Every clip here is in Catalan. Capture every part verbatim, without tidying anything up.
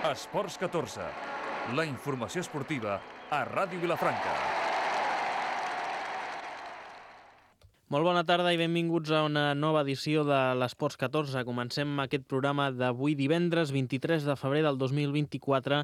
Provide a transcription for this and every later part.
Esports catorze, la informació esportiva a Ràdio Vilafranca. Molt bona tarda i benvinguts a una nova edició de l'Esports catorze. Comencem aquest programa d'avui divendres vint-i-tres de febrer del dos mil vint-i-quatre.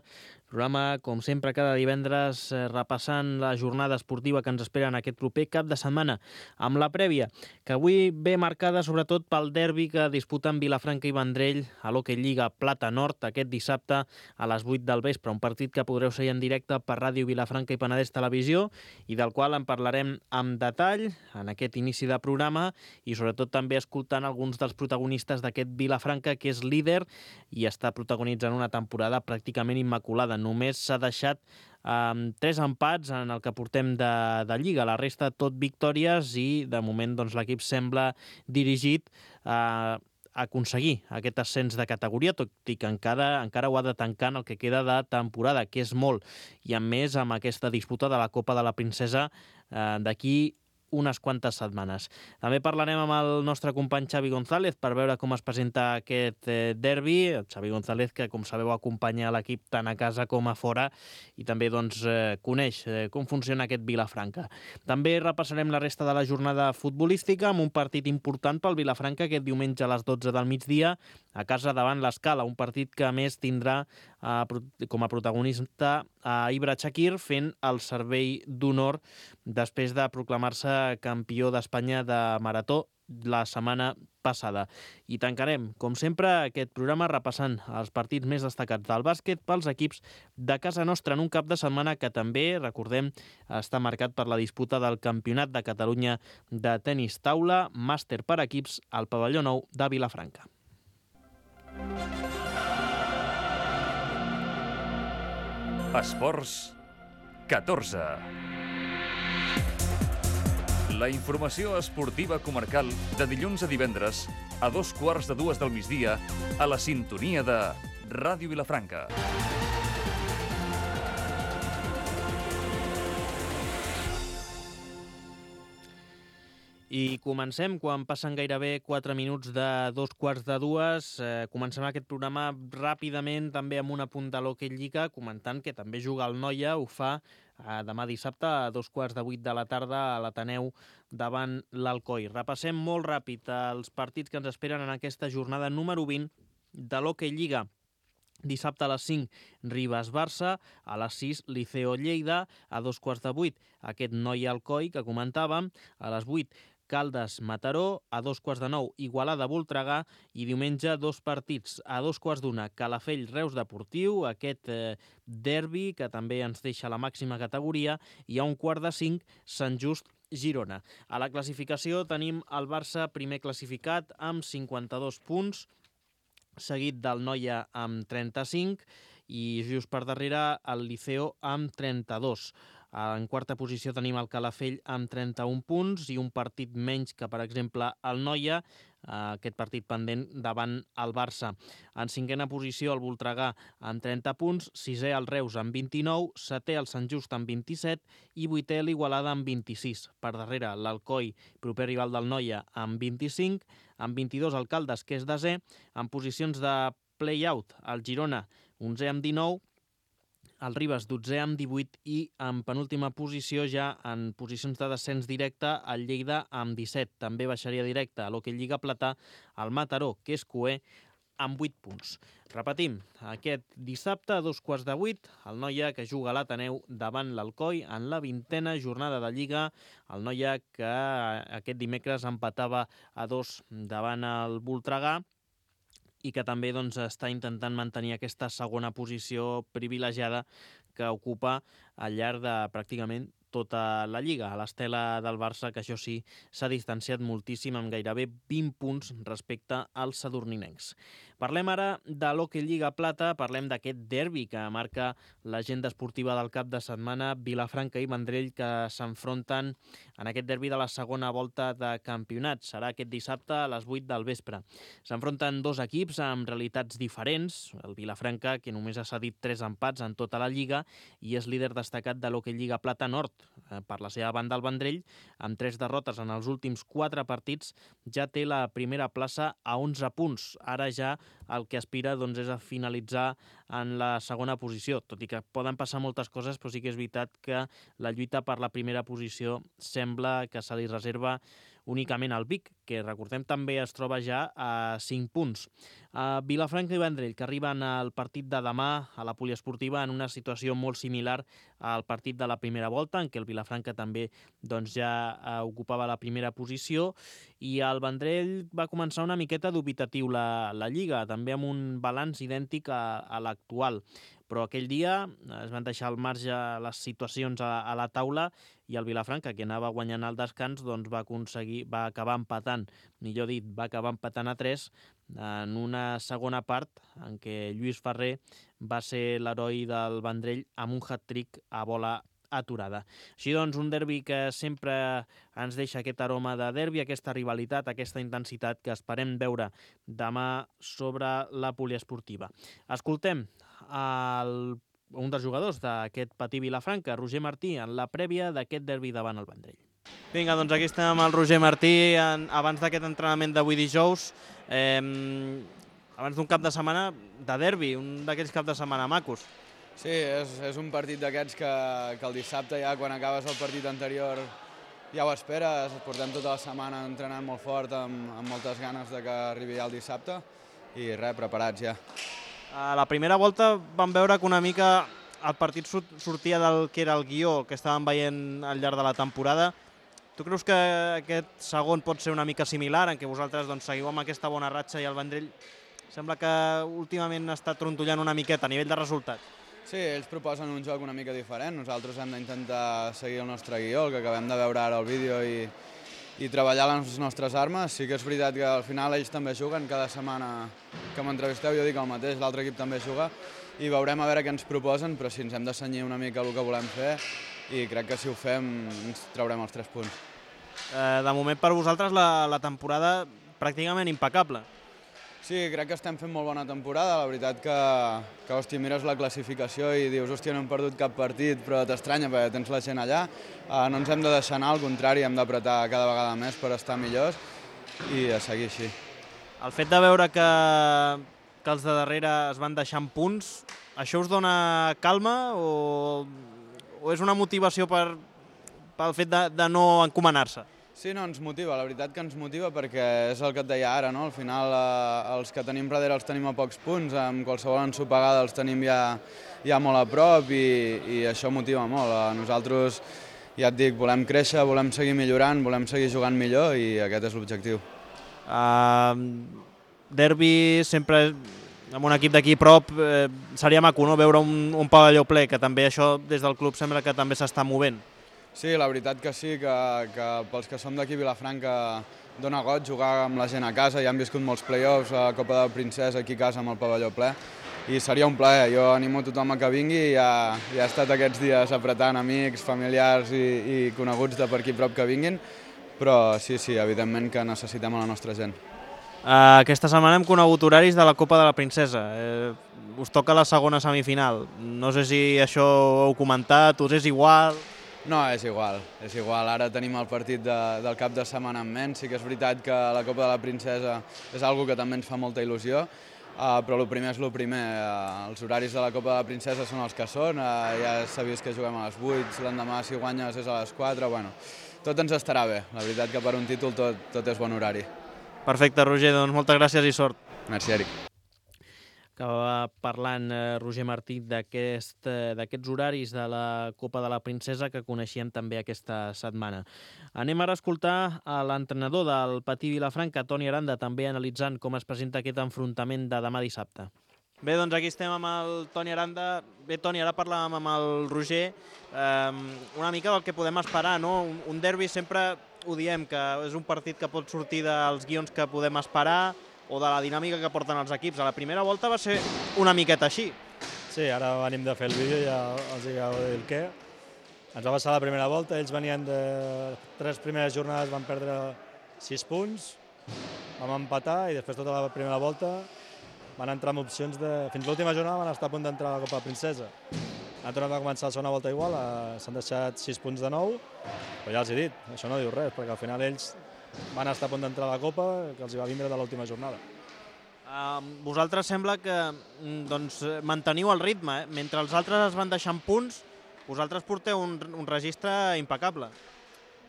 Programa, com sempre, cada divendres repassant la jornada esportiva que ens espera en aquest proper cap de setmana, amb la prèvia, que avui ve marcada sobretot pel derbi que disputen Vilafranca i Vendrell a l'Hockey Lliga Plata Nord aquest dissabte a les vuit del vespre. Un partit que podreu seguir en directe per Ràdio Vilafranca i Penedès Televisió i del qual en parlarem amb detall en aquest inici de programa i sobretot també escoltant alguns dels protagonistes d'aquest Vilafranca, que és líder i està protagonitzant una temporada pràcticament immaculada. Només s'ha deixat amb um, tres empats en el que portem de, de Lliga. La resta tot victòries i de moment doncs, l'equip sembla dirigit a aconseguir aquest ascens de categoria, tot i que encara, encara ho ha de tancar en el que queda de temporada, que és molt. I a més amb aquesta disputa de la Copa de la Princesa eh, d'aquí unes quantes setmanes. També parlarem amb el nostre company Xavi González per veure com es presenta aquest eh, derbi. El Xavi González, que com sabeu acompanya l'equip tant a casa com a fora i també doncs, eh, coneix eh, com funciona aquest Vilafranca. També repassarem la resta de la jornada futbolística amb un partit important pel Vilafranca aquest diumenge a les dotze del migdia a casa davant l'Escala, un partit que a més tindrà eh, com a protagonista a Ibra Chakir fent el servei d'honor després de proclamar-se campió d'Espanya de marató la setmana passada. I tancarem, com sempre, aquest programa repassant els partits més destacats del bàsquet pels equips de casa nostra en un cap de setmana que també, recordem, està marcat per la disputa del Campionat de Catalunya de tenis taula, màster per equips al pavelló nou de Vilafranca. Esports catorze. La informació esportiva comarcal de dilluns a divendres a dos quarts de dues del migdia a la sintonia de Ràdio Vilafranca. I comencem quan passen gairebé quatre minuts de dos quarts de dues. Eh, comencem aquest programa ràpidament també amb una punt de l'Hockey Lliga, comentant que també juga el Noia, ho fa eh, demà dissabte a dos quarts de vuit de la tarda a l'Ateneu davant l'Alcoi. Repassem molt ràpid els partits que ens esperen en aquesta jornada número vint de l'Hockey Lliga. Dissabte a les cinc, Ribes-Barça, a les sis, Liceo-Lleida, a dos quarts de vuit, aquest Noia-Alcoi que comentàvem, a les vuit, Caldes-Mataró, a dos quarts de nou, Igualada-Voltregà i diumenge dos partits, a dos quarts d'una, Calafell-Reus Deportiu, aquest eh, derbi que també ens deixa la màxima categoria, i a un quart de cinc, Sant Just-Girona. A la classificació tenim el Barça primer classificat amb cinquanta-dos punts, seguit del Noia amb trenta-cinc i just per darrere el Liceo amb trenta-dos. En quarta posició tenim el Calafell amb trenta-un punts i un partit menys que, per exemple, el Noia, aquest partit pendent davant el Barça. En cinquena posició el Voltregà amb trenta punts, sisè el Reus amb vint-i-nou, setè el Sant Just amb vint-i-set i vuitè l'Igualada amb vint-i-sis. Per darrere l'Alcoi, proper rival del Noia, amb vint-i-cinc, amb vint-i-dos el Caldes, que és desè, en posicions de play-out el Girona, onzè amb dinou, el Ribes dotzè amb divuit i en penúltima posició ja en posicions de descens directe el Lleida amb disset. També baixaria directe a l'Hockey Lliga Plata el Mataró, que és coer, amb vuit punts. Repetim, aquest dissabte a dos quarts de vuit, el Noia que juga a l'Ateneu davant l'Alcoi en la vintena jornada de Lliga. El Noia que aquest dimecres empatava a dos davant el Voltregà i que també doncs, està intentant mantenir aquesta segona posició privilegiada que ocupa al llarg de pràcticament tota la Lliga, a l'estela del Barça, que això sí, s'ha distanciat moltíssim amb gairebé vint punts respecte als sadurninencs. Parlem ara de l'Hockey Lliga Plata, parlem d'aquest derbi que marca l'agenda esportiva del cap de setmana, Vilafranca i Vendrell, que s'enfronten en aquest derbi de la segona volta de campionat. Serà aquest dissabte a les vuit del vespre. S'enfronten dos equips amb realitats diferents. El Vilafranca, que només ha cedit tres empats en tota la Lliga i és líder destacat de l'Hockey Lliga Plata Nord. Per la seva banda, el Vendrell, amb tres derrotes en els últims quatre partits, ja té la primera plaça a onze punts. Ara ja el que aspira doncs, és a finalitzar en la segona posició, tot i que poden passar moltes coses, però sí que és veritat que la lluita per la primera posició sembla que se li reserva únicament al Vic, que recordem també es troba ja a cinc punts. Uh, Vilafranca i Vendrell, que arriben al partit de demà a la poliesportiva en una situació molt similar al partit de la primera volta, en què el Vilafranca també doncs, ja uh, ocupava la primera posició, i el Vendrell va començar una miqueta dubitatiu la, la Lliga, també amb un balanç idèntic a, a l'actual. Però aquell dia es van deixar al marge les situacions a, a la taula i el Vilafranca, que anava guanyant el descans, doncs va aconseguir, va acabar empatant, millor dit, va acabar empatant a tres en una segona part en què Lluís Ferrer va ser l'heroi del Vendrell amb un hat-trick a bola aturada. Així doncs, un derbi que sempre ens deixa aquest aroma de derbi, aquesta rivalitat, aquesta intensitat que esperem veure demà sobre la poliesportiva. Escoltem el, un dels jugadors d'aquest Patí Vilafranca, Roger Martí, en la prèvia d'aquest derbi davant el Vendrell. Vinga, doncs aquí estem amb el Roger Martí en, abans d'aquest entrenament d'avui dijous, eh, abans d'un cap de setmana de derbi, un d'aquells caps de setmana macos. Sí, és, és un partit d'aquests que, que el dissabte ja quan acabes el partit anterior ja ho esperes, portem tota la setmana entrenant molt fort amb, amb moltes ganes de que arribi ja el dissabte i res, preparats ja. A la primera volta vam veure que una mica el partit sortia del que era el guió que estàvem veient al llarg de la temporada. Tu creus que aquest segon pot ser una mica similar, en què vosaltres doncs, seguiu amb aquesta bona ratxa i el Vendrell sembla que últimament està trontollant una miqueta a nivell de resultat? Sí, ells proposen un joc una mica diferent. Nosaltres hem d'intentar seguir el nostre guió, el que acabem de veure ara al vídeo, i, i treballar les nostres armes. Sí que és veritat que al final ells també juguen, cada setmana que m'entrevisteu jo dic el mateix, l'altre equip també juga, i veurem a veure què ens proposen, però sí, ens hem de cenyir una mica el que volem fer, i crec que si ho fem ens traurem els tres punts. Eh, de moment per vosaltres la, la temporada pràcticament impecable. Sí, crec que estem fent molt bona temporada. La veritat que, que hòstia, mires la classificació i dius, hòstia, no hem perdut cap partit, però t'estranya perquè tens la gent allà. Uh, no ens hem de deixar anar, al contrari, hem d'apretar cada vegada més per estar millors i a seguir així. El fet de veure que, que els de darrere es van deixant punts, això us dona calma o, o és una motivació per, pel fet de, de no encomanar-se? Sí, no, ens motiva, la veritat que ens motiva perquè és el que et deia ara, no? Al final eh, els que tenim darrere els tenim a pocs punts, amb qualsevol ensopegada els tenim ja, ja molt a prop i, i això motiva molt. A nosaltres, ja et dic, volem créixer, volem seguir millorant, volem seguir jugant millor i aquest és l'objectiu. Uh, derbi sempre amb un equip d'aquí a prop eh, seria maco, no? Veure un, un pavelló ple, que també això des del club sembla que també s'està movent. Sí, la veritat que sí, que, que pels que som d'aquí a Vilafranca dona goig jugar amb la gent a casa, ja hem viscut molts play-offs, a Copa de Princesa aquí a casa amb el pavelló ple, i seria un plaer. Jo animo tothom a que vingui i ja, ja he estat aquests dies apretant amics, familiars i, i coneguts de per aquí prop que vinguin, però sí, sí, evidentment que necessitem a la nostra gent. Uh, aquesta setmana hem conegut horaris de la Copa de la Princesa. Eh, us toca la segona semifinal. No sé si això ho heu comentat, us és igual... No, és igual, és igual. Ara tenim el partit de, del cap de setmana en ment. Sí que és veritat que la Copa de la Princesa és algo que també ens fa molta il·lusió, uh, però el primer és el primer. Uh, els horaris de la Copa de la Princesa són els que són, uh, ja s'ha vist que juguem a les vuit, l'endemà si guanyes és a les quatre, bueno, tot ens estarà bé. La veritat que per un títol tot, tot és bon horari. Perfecte, Roger, doncs moltes gràcies i sort. Merci, Eric. Acaba parlant eh, Roger Martí d'aquest, eh, d'aquests horaris de la Copa de la Princesa que coneixíem també aquesta setmana. Anem ara a escoltar a l'entrenador del Patí Vilafranca, Toni Aranda, també analitzant com es presenta aquest enfrontament de demà dissabte. Bé, doncs aquí estem amb el Toni Aranda. Bé, Toni, ara parlàvem amb el Roger eh, una mica del que podem esperar, no? Un, un derbi sempre ho diem, que és un partit que pot sortir dels guions que podem esperar o de la dinàmica que porten els equips. A la primera volta va ser una miqueta així. Sí, ara venim de fer el vídeo i ja els hi acabo de dir el què. ens va passar la primera volta, ells venien de tres primeres jornades, van perdre sis punts, vam empatar i després tota la primera volta van entrar amb opcions de... Fins l'última jornada van estar a punt d'entrar a la Copa Princesa. Han tornat a començar la segona volta igual, s'han deixat sis punts de nou, però ja els he dit, això no diu res, perquè al final ells van estar a punt d'entrar a la Copa, que els hi va vindre de l'última jornada. Uh, vosaltres sembla que doncs, manteniu el ritme, eh? Mentre els altres es van deixant punts, vosaltres porteu un, un registre impecable.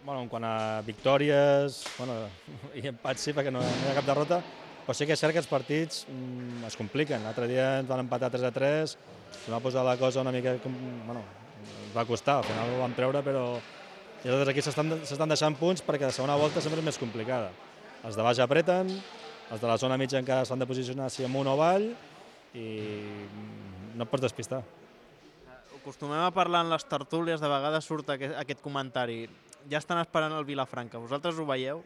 Bueno, en quant a victòries, bueno, i empats sí, perquè no, no hi ha cap derrota, però sí que és cert que els partits mm, es compliquen. L'altre dia ens van empatar tres a tres, ens va posar la cosa una mica... Bueno, ens va costar, al final ho vam treure, però i els altres equips s'estan deixant punts perquè la segona volta sempre és més complicada. Els de baix apreten, els de la zona mitja encara s'han de posicionar si amunt o avall i no et pots despistar. Acostumem a parlar en les tertúlies, de vegades surt aquest, aquest comentari. Ja estan esperant el Vilafranca, vosaltres ho veieu?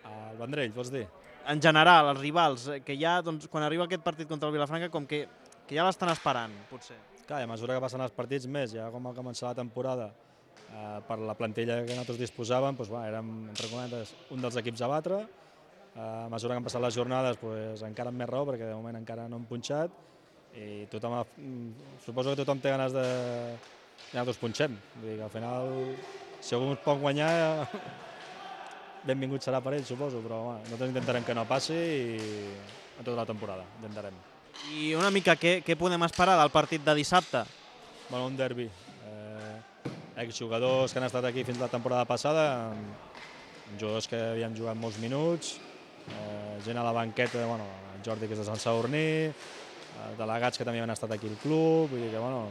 El Vendrell, vols dir? En general, els rivals, que ja, doncs, quan arriba aquest partit contra el Vilafranca, com que, que ja l'estan esperant, potser. Clar, a mesura que passen els partits més, ja com va començar la temporada, eh, per la plantilla que nosaltres disposàvem, doncs, va, érem, entre cometes, un dels equips a batre. Eh, a mesura que han passat les jornades, doncs, encara amb més raó, perquè de moment encara no hem punxat, i tothom, suposo que tothom té ganes de que nosaltres punxem. Vull dir que al final, si algú ens pot guanyar, benvingut serà per ell, suposo, però bueno, nosaltres intentarem que no passi i en tota la temporada, intentarem. I una mica, què, què podem esperar del partit de dissabte? Bueno, un derbi. Eh, exjugadors que han estat aquí fins la temporada passada, jugadors que havien jugat molts minuts, eh, gent a la banqueta, bueno, el Jordi, que és de Sant Sadurní, eh, delegats que també han estat aquí al club, vull dir que, bueno,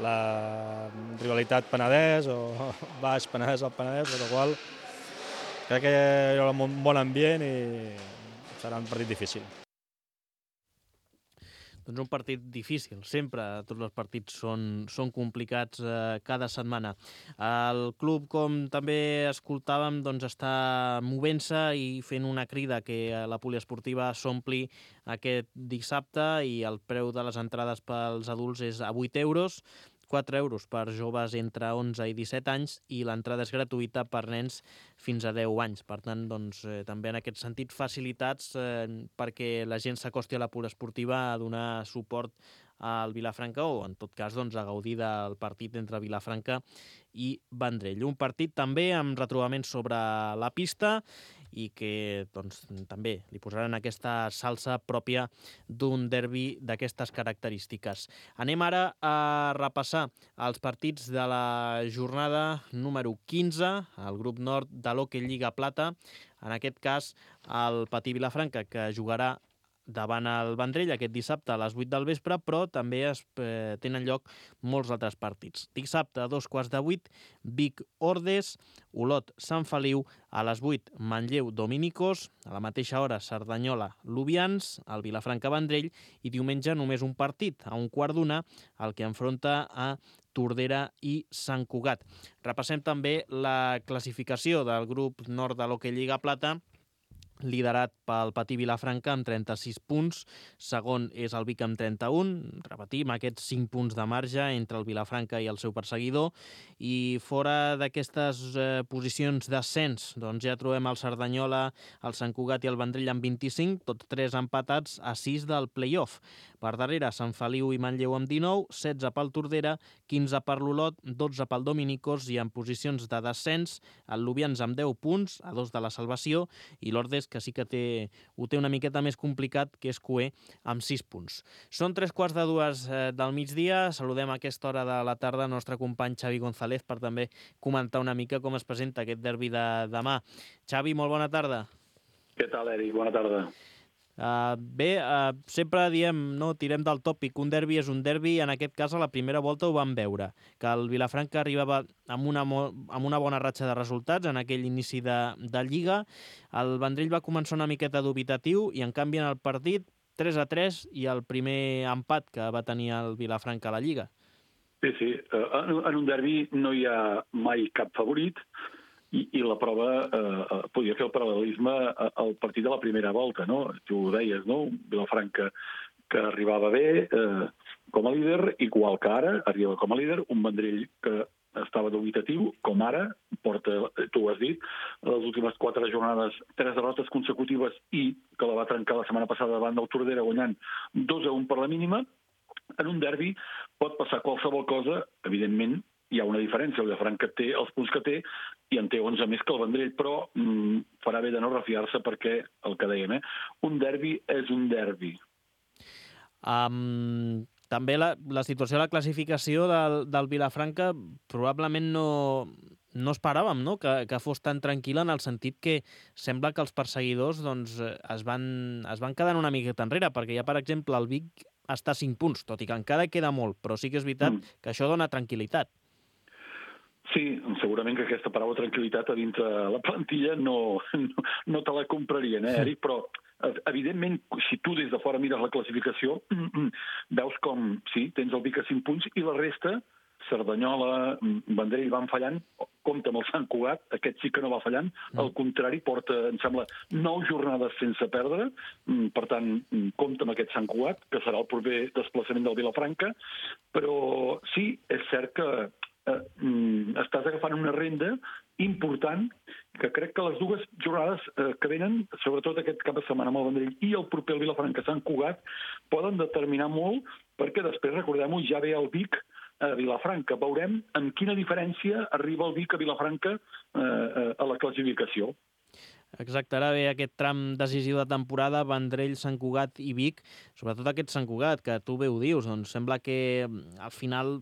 la rivalitat Penedès o baix Penedès al Penedès, per la qual crec que hi haurà un bon ambient i serà un partit difícil. Doncs un partit difícil, sempre tots els partits són, són complicats eh, cada setmana. El club, com també escoltàvem, doncs està movent-se i fent una crida que la poliesportiva s'ompli aquest dissabte i el preu de les entrades pels adults és a vuit euros, quatre euros per joves entre onze i disset anys i l'entrada és gratuïta per nens fins a deu anys. Per tant, doncs, eh, també en aquest sentit facilitats eh, perquè la gent s'acosti a la poliesportiva a donar suport al Vilafranca o, en tot cas, doncs, a gaudir del partit entre Vilafranca i Vendrell. Un partit també amb retrobaments sobre la pista i que doncs, també li posaran aquesta salsa pròpia d'un derbi d'aquestes característiques. Anem ara a repassar els partits de la jornada número quinze, al grup nord de l'Hockey Lliga Plata, en aquest cas el Patí Vilafranca, que jugarà davant el Vendrell aquest dissabte a les vuit del vespre, però també es eh, tenen lloc molts altres partits. Dissabte a dos quarts de vuit, Vic Ordes, Olot Sant Feliu, a les vuit Manlleu Dominicos, a la mateixa hora Cerdanyola Lubians, el Vilafranca Vendrell i diumenge només un partit, a un quart d'una, el que enfronta a Tordera i Sant Cugat. Repassem també la classificació del grup nord de l'Hockey Lliga Plata, liderat pel Patí Vilafranca amb trenta-sis punts, segon és el Vic amb trenta-un, repetim, aquests cinc punts de marge entre el Vilafranca i el seu perseguidor, i fora d'aquestes eh, posicions d'ascens, doncs ja trobem el Cerdanyola, el Sant Cugat i el Vendrell amb vint-i-cinc, tots tres empatats a sis del play-off. Per darrere, Sant Feliu i Manlleu amb dinou, setze pel Tordera, quinze per l'Olot, dotze pel Dominicos i en posicions de descens, el Lubians amb deu punts, a dos de la salvació, i l'Ordes, que sí que té, ho té una miqueta més complicat, que és Cué, amb sis punts. Són tres quarts de dues eh, del migdia, saludem a aquesta hora de la tarda el nostre company Xavi González per també comentar una mica com es presenta aquest derbi de demà. Xavi, molt bona tarda. Què tal, Eric? Bona tarda. Uh, bé, uh, sempre diem, no, tirem del tòpic, un derbi és un derbi, en aquest cas a la primera volta ho vam veure, que el Vilafranca arribava amb una, amb una bona ratxa de resultats en aquell inici de, de Lliga, el Vendrell va començar una miqueta dubitatiu i en canvi en el partit tres a tres i el primer empat que va tenir el Vilafranca a la Lliga. Sí, sí, en, en un derbi no hi ha mai cap favorit, I, i la prova, eh, podia fer el paral·lelisme al partit de la primera volta, no? Tu ho deies, no? Vilafranca que arribava bé eh, com a líder, igual que ara, arriba com a líder, un Vendrell que estava dubitatiu, com ara, porta, tu ho has dit, les últimes quatre jornades, tres derrotes consecutives i que la va trencar la setmana passada davant del Tordera guanyant dos a un per la mínima. En un derbi pot passar qualsevol cosa, evidentment, hi ha una diferència, el Vilafranca té els punts que té i en té onze més que el Vendrell, però mm, farà bé de no refiar-se perquè, el que dèiem, eh, un derbi és un derbi. Um, també la, la situació de la classificació del, del Vilafranca probablement no, no esperàvem, no? Que, que fos tan tranquil·la, en el sentit que sembla que els perseguidors doncs, es, van, es van quedar una miqueta enrere, perquè ja, per exemple, el Vic està a cinc punts, tot i que encara queda molt, però sí que és veritat mm. que això dona tranquil·litat. Sí, segurament que aquesta paraula tranquil·litat a dintre la plantilla no, no, no te la comprarien, eh, Eric? Però, evidentment, si tu des de fora mires la classificació, veus com, sí, tens el Vic a cinc punts i la resta, Cerdanyola, Vendrell van fallant, compta amb el Sant Cugat, aquest sí que no va fallant, al contrari, porta, em sembla, nou jornades sense perdre, per tant, compta amb aquest Sant Cugat, que serà el proper desplaçament del Vilafranca, però sí, és cert que eh, estàs agafant una renda important que crec que les dues jornades eh, que venen, sobretot aquest cap de setmana amb el Vendrell i el proper el Vilafranca Sant Cugat, poden determinar molt perquè després, recordem-ho, ja ve el Vic a Vilafranca. Veurem amb quina diferència arriba el Vic a Vilafranca eh, a la classificació. Exacte, ara ve aquest tram decisiu de temporada, Vendrell, Sant Cugat i Vic, sobretot aquest Sant Cugat, que tu bé ho dius, doncs sembla que al final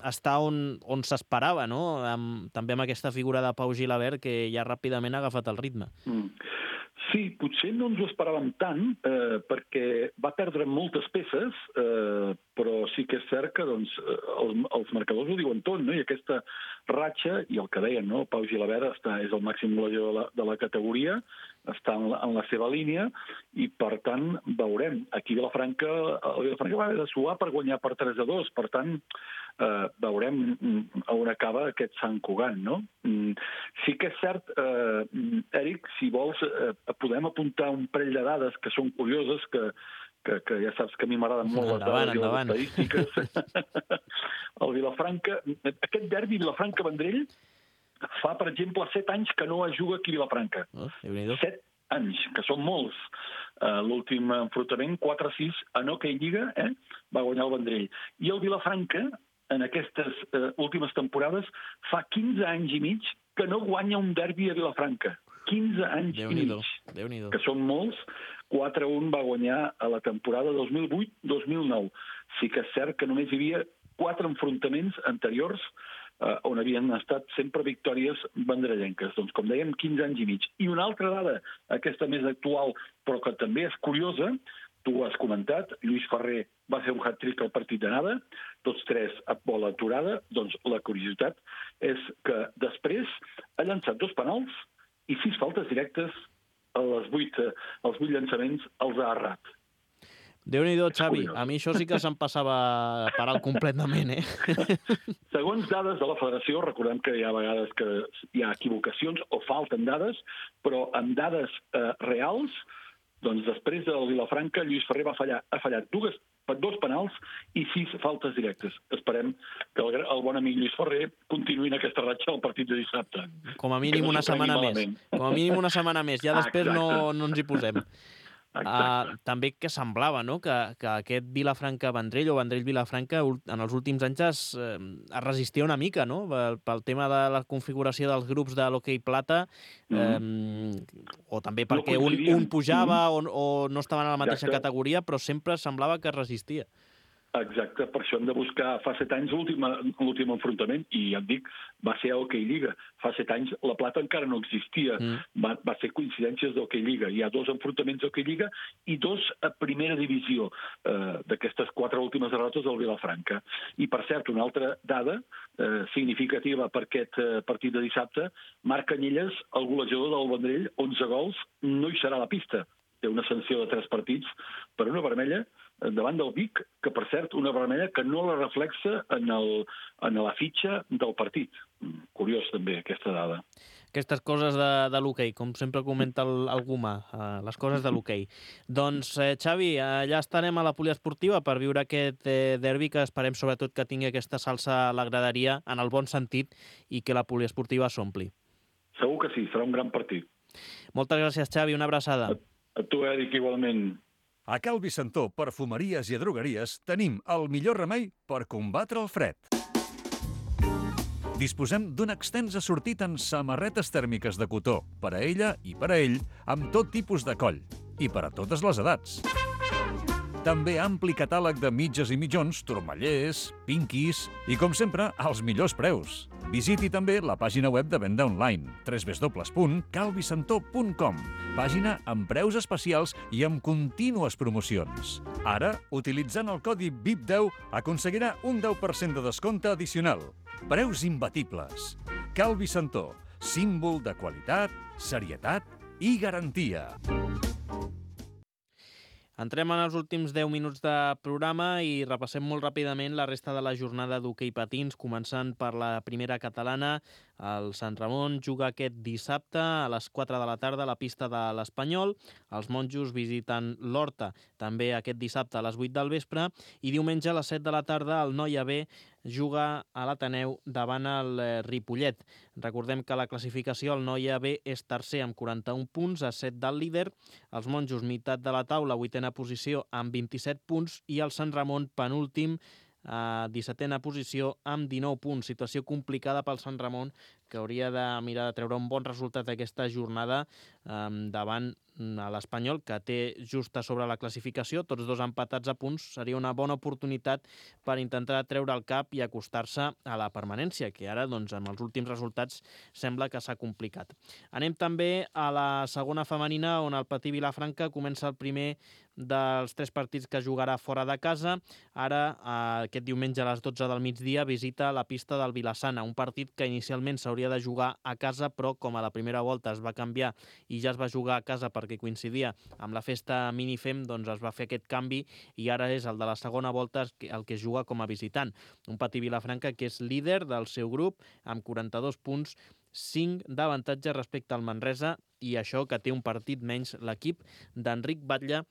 està on, on s'esperava, no? Amb, també amb aquesta figura de Pau Gilabert, que ja ràpidament ha agafat el ritme. Mm. Sí, potser no ens ho esperàvem tant, eh, perquè va perdre moltes peces, eh, però sí que és cert que doncs, els, els marcadors ho diuen tot, no? I aquesta ratxa, i el que deien, no? Pau Gilabert està, és el màxim golejador de la, de la categoria, està en la, en la seva línia, i per tant veurem. Aquí Vilafranca, el Vilafranca va haver de suar per guanyar per tres a dos, per tant eh, veurem on acaba aquest Sant Cugat, no? Sí que és cert, eh, Eric, si vols, eh, podem apuntar un parell de dades que són curioses, que, que, que ja saps que a mi m'agraden molt les endavant, dades endavant. i les estadístiques. El Vilafranca, aquest derbi Vilafranca-Vendrell fa, per exemple, set anys que no es juga aquí a Vilafranca. Oh, set anys, que són molts. Uh, L'últim enfrontament, quatre a sis, en hoquei lliga, eh, va guanyar el Vendrell. I el Vilafranca, en aquestes uh, últimes temporades, fa quinze anys i mig que no guanya un derbi a Vilafranca. quinze anys i mig, Déu-n'hi-do. que són molts. quatre a un va guanyar a la temporada dos mil vuit dos mil nou. Sí que és cert que només hi havia quatre enfrontaments anteriors eh, on havien estat sempre victòries vendrellenques. Doncs, com dèiem, quinze anys i mig. I una altra dada, aquesta més actual, però que també és curiosa, tu ho has comentat, Lluís Ferrer va fer un hat-trick al partit d'anada, tots tres a bola aturada, doncs la curiositat és que després ha llançat dos penals i sis faltes directes a les vuit, els vuit llançaments els ha errat. Déu-n'hi-do, Xavi. A mi això sí que se'm passava per alt completament, eh? Segons dades de la federació, recordem que hi ha vegades que hi ha equivocacions o falten dades, però amb dades eh, reals, doncs després del Vilafranca, Lluís Ferrer va fallar, ha fallat dues, dos penals i sis faltes directes. Esperem que el, el bon amic Lluís Ferrer continuï en aquesta ratxa al partit de dissabte. Com a mínim una setmana més. Com a mínim una setmana més. Ja després no, no ens hi posem. Uh, també que semblava, no?, que, que aquest Vilafranca-Vendrell o Vendrell-Vilafranca en els últims anys es, eh, es resistia una mica, no?, pel, pel tema de la configuració dels grups de l'hoquei plata, eh, mm. o també perquè no un, un pujava mm. o, o no estaven a la mateixa Exacte. categoria, però sempre semblava que es resistia. Exacte, per això hem de buscar fa set anys l'últim enfrontament, i ja et dic, va ser a Hoquei Lliga. Fa set anys la plata encara no existia, mm. va, va ser coincidències d'Hoquei Lliga. Hi ha dos enfrontaments d'Hoquei Lliga i dos a primera divisió eh, d'aquestes quatre últimes derrotes del Vilafranca. I, per cert, una altra dada eh, significativa per aquest eh, partit de dissabte, Marc Canyelles, el golejador del Vendrell, onze gols, no hi serà a la pista. té una sanció de tres partits per una vermella davant del Vic, que, per cert, una vermella que no la reflexa en, el, en la fitxa del partit. Curiós, també, aquesta dada. Aquestes coses de, de l'hoquei, com sempre comenta el, el Gumà, eh, les coses de l'hoquei. Doncs, eh, Xavi, allà estarem a la poliesportiva per viure aquest eh, derbi, que esperem sobretot que tingui aquesta salsa a la graderia, en el bon sentit, i que la poliesportiva s'ompli. Segur que sí, serà un gran partit. Moltes gràcies, Xavi, una abraçada. A, a tu, Eric, igualment. A Cal Vicentó, perfumeries i drogueries, tenim el millor remei per combatre el fred. Disposem d'un extens assortit en samarretes tèrmiques de cotó, per a ella i per a ell, amb tot tipus de coll, i per a totes les edats. També ampli catàleg de mitges i mitjons, turmallers, pinquis i, com sempre, als millors preus. Visiti també la pàgina web de venda online, w w w punt cal vicentó punt com, pàgina amb preus especials i amb contínues promocions. Ara, utilitzant el codi V I P deu, aconseguirà un deu per cent de descompte addicional. Preus imbatibles. Cal Vicentó, símbol de qualitat, serietat i garantia. Entrem en els últims deu minuts de programa i repassem molt ràpidament la resta de la jornada d'hoquei patins, començant per la primera catalana. El Sant Ramon juga aquest dissabte a les quatre de la tarda a la pista de l'Espanyol. Els monjos visiten l'Horta també aquest dissabte a les vuit del vespre i diumenge a les set de la tarda el Noia B juga a l'Ateneu davant el Ripollet. Recordem que la classificació el Noia B és tercer amb quaranta-un punts, a set del líder. Els monjos, meitat de la taula, vuitena posició amb vint-i-set punts i el Sant Ramon, penúltim, a dissetena posició amb dinou punts. Situació complicada pel Sant Ramon, que hauria de mirar de treure un bon resultat aquesta jornada eh, davant a l'Espanyol, que té just a sobre la classificació, tots dos empatats a punts. Seria una bona oportunitat per intentar treure el cap i acostar-se a la permanència, que ara, doncs, amb els últims resultats, sembla que s'ha complicat. Anem també a la segona femenina, on el Patí Vilafranca comença el primer dels tres partits que jugarà fora de casa. Ara, aquest diumenge a les dotze del migdia, visita la pista del Vilassana, un partit que inicialment s'hauria de jugar a casa, però com a la primera volta es va canviar i ja es va jugar a casa perquè coincidia amb la festa Minifem, doncs es va fer aquest canvi i ara és el de la segona volta el que es juga com a visitant. Un Patí Vilafranca que és líder del seu grup amb quaranta-dos punts, cinc d'avantatge respecte al Manresa, i això que té un partit menys l'equip d'Enric Batlle,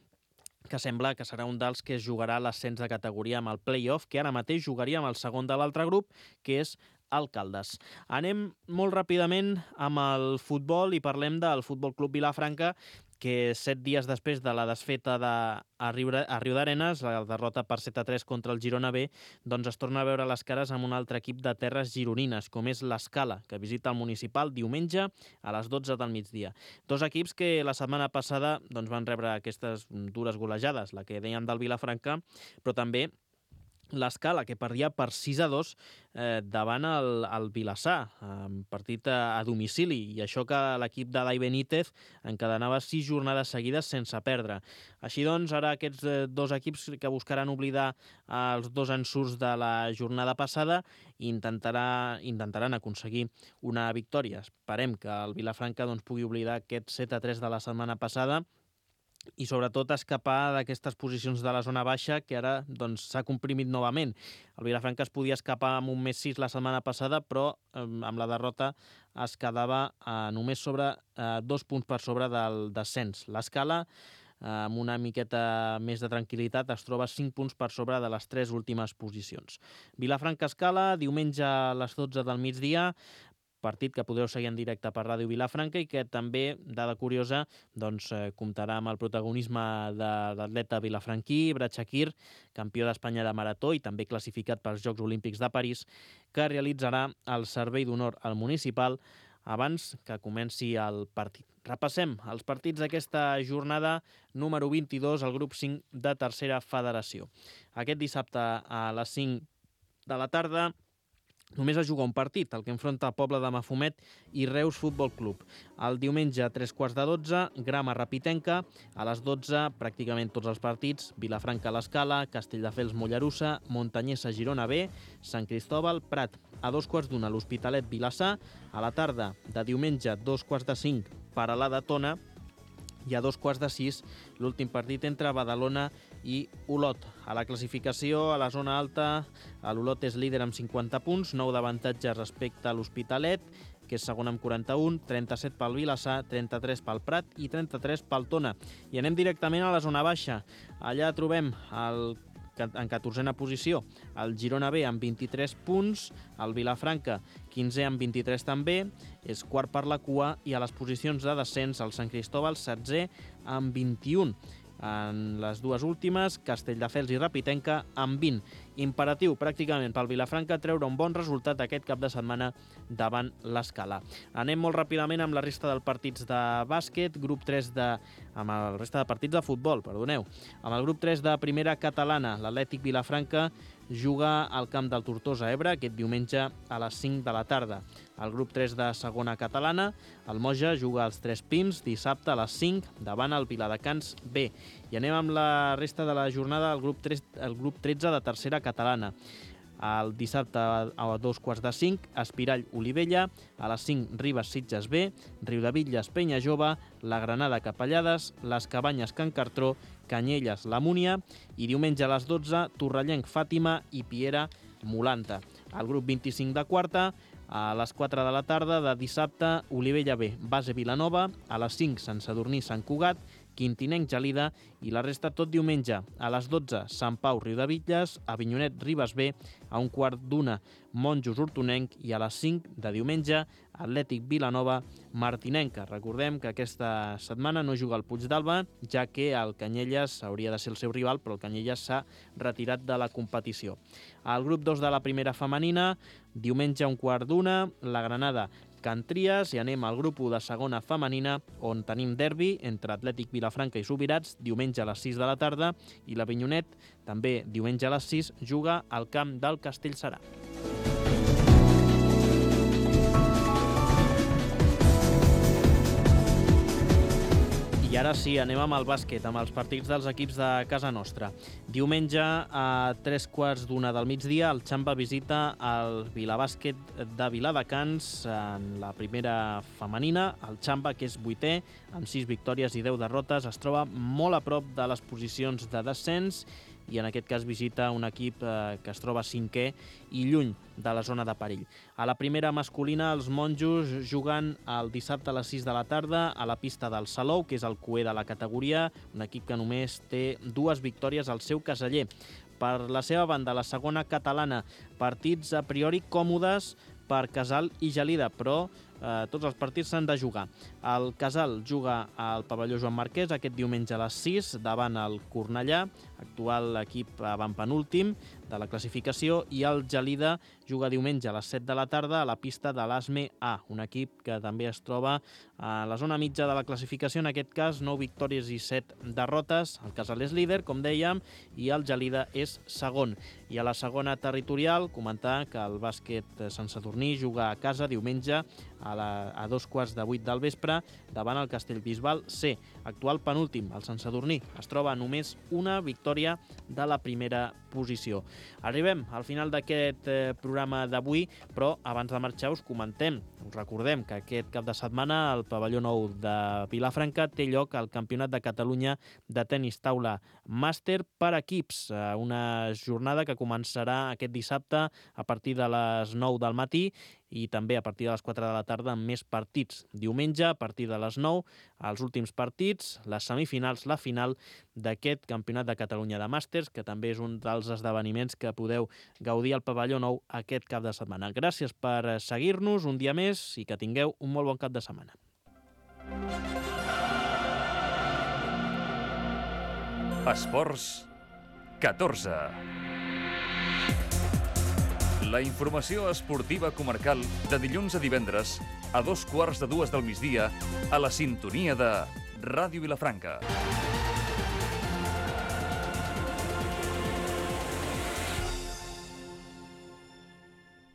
que sembla que serà un dels que es jugarà l'ascens de categoria amb el play-off, que ara mateix jugaria amb el segon de l'altre grup, que és el Caldes. Anem molt ràpidament amb el futbol i parlem del Futbol Club Vilafranca, que set dies després de la desfeta de, a, Riu, a Riu d'Arenes, la derrota per set a tres contra el Girona B, doncs es torna a veure les cares amb un altre equip de terres gironines, com és l'Escala, que visita el Municipal diumenge a les dotze del migdia. Dos equips que la setmana passada doncs, van rebre aquestes dures golejades, la que dèiem del Vilafranca, però també l'Escala, que perdia per sis a dos eh, davant el, el Vilassar, eh, partit a, a domicili, i això que l'equip de Dai Benítez encadenava sis jornades seguides sense perdre. Així doncs, ara aquests eh, dos equips que buscaran oblidar els dos ensurts de la jornada passada i intentarà, intentaran aconseguir una victòria. Esperem que el Vilafranca doncs, pugui oblidar aquest set a tres de la setmana passada i sobretot escapar d'aquestes posicions de la zona baixa que ara doncs, s'ha comprimit novament. El Vilafranca es podia escapar amb un més sis la setmana passada, però eh, amb la derrota es quedava eh, només sobre eh, dos punts per sobre del descens. L'Escala, eh, amb una miqueta més de tranquil·litat, es troba cinc punts per sobre de les tres últimes posicions. Vilafranca-Escala, diumenge a les dotze del migdia, partit que podreu seguir en directe per Ràdio Vilafranca i que també, dada curiosa, doncs, eh, comptarà amb el protagonisme de l'atleta vilafranquí, Brad Shakir, campió d'Espanya de marató i també classificat pels Jocs Olímpics de París, que realitzarà el servei d'honor al Municipal abans que comenci el partit. Repassem els partits d'aquesta jornada número vint-i-dos, al grup cinc de tercera federació. Aquest dissabte a les cinc de la tarda només es juga un partit, el que enfronta el Poble de Mafumet i Reus Futbol Club. El diumenge a tres quarts de dotze, Grama Rapitenca. A les dotze, pràcticament tots els partits: Vilafranca a l'Escala, Castelldefels Mollerussa, Montanyesa Girona B, Sant Cristòbal Prat. A dos quarts d'una, l'Hospitalet Vilassar. A la tarda de diumenge, dos quarts de cinc, Paralada Tona. i a dos quarts de sis l'últim partit entre Badalona i Olot. A la classificació, a la zona alta, l'Olot és líder amb cinquanta punts, nou d'avantatge respecte a l'Hospitalet, que és segon amb quaranta-un, trenta-set pel Vilassar, trenta-tres pel Prat i trenta-tres pel Tona. I anem directament a la zona baixa. Allà trobem el en catorzena posició el Girona B amb vint-i-tres punts, el Vilafranca quinzè amb vint-i-tres també, és quart per la cua, i a les posicions de descens el Sant Cristóbal setzè amb vint-i-un. En les dues últimes, Castelldefels i Rapitenca amb vint. Imperatiu pràcticament pel Vilafranca treure un bon resultat aquest cap de setmana davant l'Escala. Anem molt ràpidament amb la resta dels partits de bàsquet, grup tres de... amb la resta de partits de futbol, perdoneu. Amb el grup tres de primera catalana, l'Atlètic Vilafranca juga al camp del Tortosa Ebre aquest diumenge a les cinc de la tarda. Al grup tres de segona catalana, el Moja juga als Tres Pins dissabte a les cinc davant el Viladecans B. I anem amb la resta de la jornada al grup, tres, el grup tretze de tercera catalana. El dissabte a dos quarts de cinc, Espirall Olivella, a les cinc Ribes Sitges B, Riudebitlles Penya Jove, la Granada Capellades, les Cabanyes Can Cartró, Canyelles La Múnia, i diumenge a les dotze Torrellenc Fàtima i Piera Molanta. Al grup vint-i-cinc de quarta, a les quatre de la tarda de dissabte, Olivella B, Base Vilanova, a les cinc Sant Sadurní Sant Cugat, Quintinenc Gelida, i la resta tot diumenge. A les dotze, Sant Pau Riudebitlles, Avinyonet Ribes B, a un quart d'una, Monjos Hortonenc, i a les cinc de diumenge, Atlètic Vilanova Martinenca. Recordem que aquesta setmana no juga el Puigdàlber, ja que el Canyelles hauria de ser el seu rival, però el Canyelles s'ha retirat de la competició. Al grup dos de la primera femenina, diumenge a un quart d'una, la Granada Can Tries, i anem al grup u de segona femenina, on tenim derbi entre Atlètic Vilafranca i Subirats, diumenge a les sis de la tarda, i l'Avinyonet, també diumenge a les sis, juga al camp del Castellserà. I ara sí, anem amb el bàsquet, amb els partits dels equips de casa nostra. Diumenge, a tres quarts d'una del migdia, el Xamba visita el Vilabàsquet de Viladecans en la primera femenina. El Xamba, que és vuitè, amb sis victòries i deu derrotes, es troba molt a prop de les posicions de descens, i en aquest cas visita un equip eh, que es troba cinquè i lluny de la zona de perill. A la primera masculina, els monjos juguen el dissabte a les sis de la tarda a la pista del Salou, que és el cuer de la categoria, un equip que només té dues victòries al seu caseller. Per la seva banda, la segona catalana, partits a priori còmodes per Casal i Gelida, però eh, tots els partits s'han de jugar. El Casal juga al pavelló Joan Marquès aquest diumenge a les sis davant el Cornellà, actual equip avantpenúltim de la classificació, i el Gelida juga diumenge a les set de la tarda a la pista de l'Asme A, un equip que també es troba a la zona mitja de la classificació, en aquest cas nou victòries i set derrotes. El Casal és líder, com dèiem, i el Gelida és segon. I a la segona territorial, comentar que el bàsquet Sant Sadurní juga a casa diumenge a, la, a dos quarts de vuit del vespre davant el Castellbisbal C, actual penúltim. El Sant Sadurní es troba a només una victòria de la primera posició. Arribem al final d'aquest eh, programa d'avui, però abans de marxar us comentem, us recordem que aquest cap de setmana al pavelló nou de Vilafranca té lloc el Campionat de Catalunya de tenis taula màster per equips, eh, una jornada que començarà aquest dissabte a partir de les nou del matí i també a partir de les quatre de la tarda amb més partits. Diumenge, a partir de les nou, els últims partits, les semifinals, la final d'aquest Campionat de Catalunya de Màsters, que també és un dels esdeveniments que podeu gaudir al pavelló nou aquest cap de setmana. Gràcies per seguir-nos un dia més i que tingueu un molt bon cap de setmana. Esports catorze. La informació esportiva comarcal de dilluns a divendres a dos quarts de dues del migdia a la sintonia de Ràdio Vilafranca.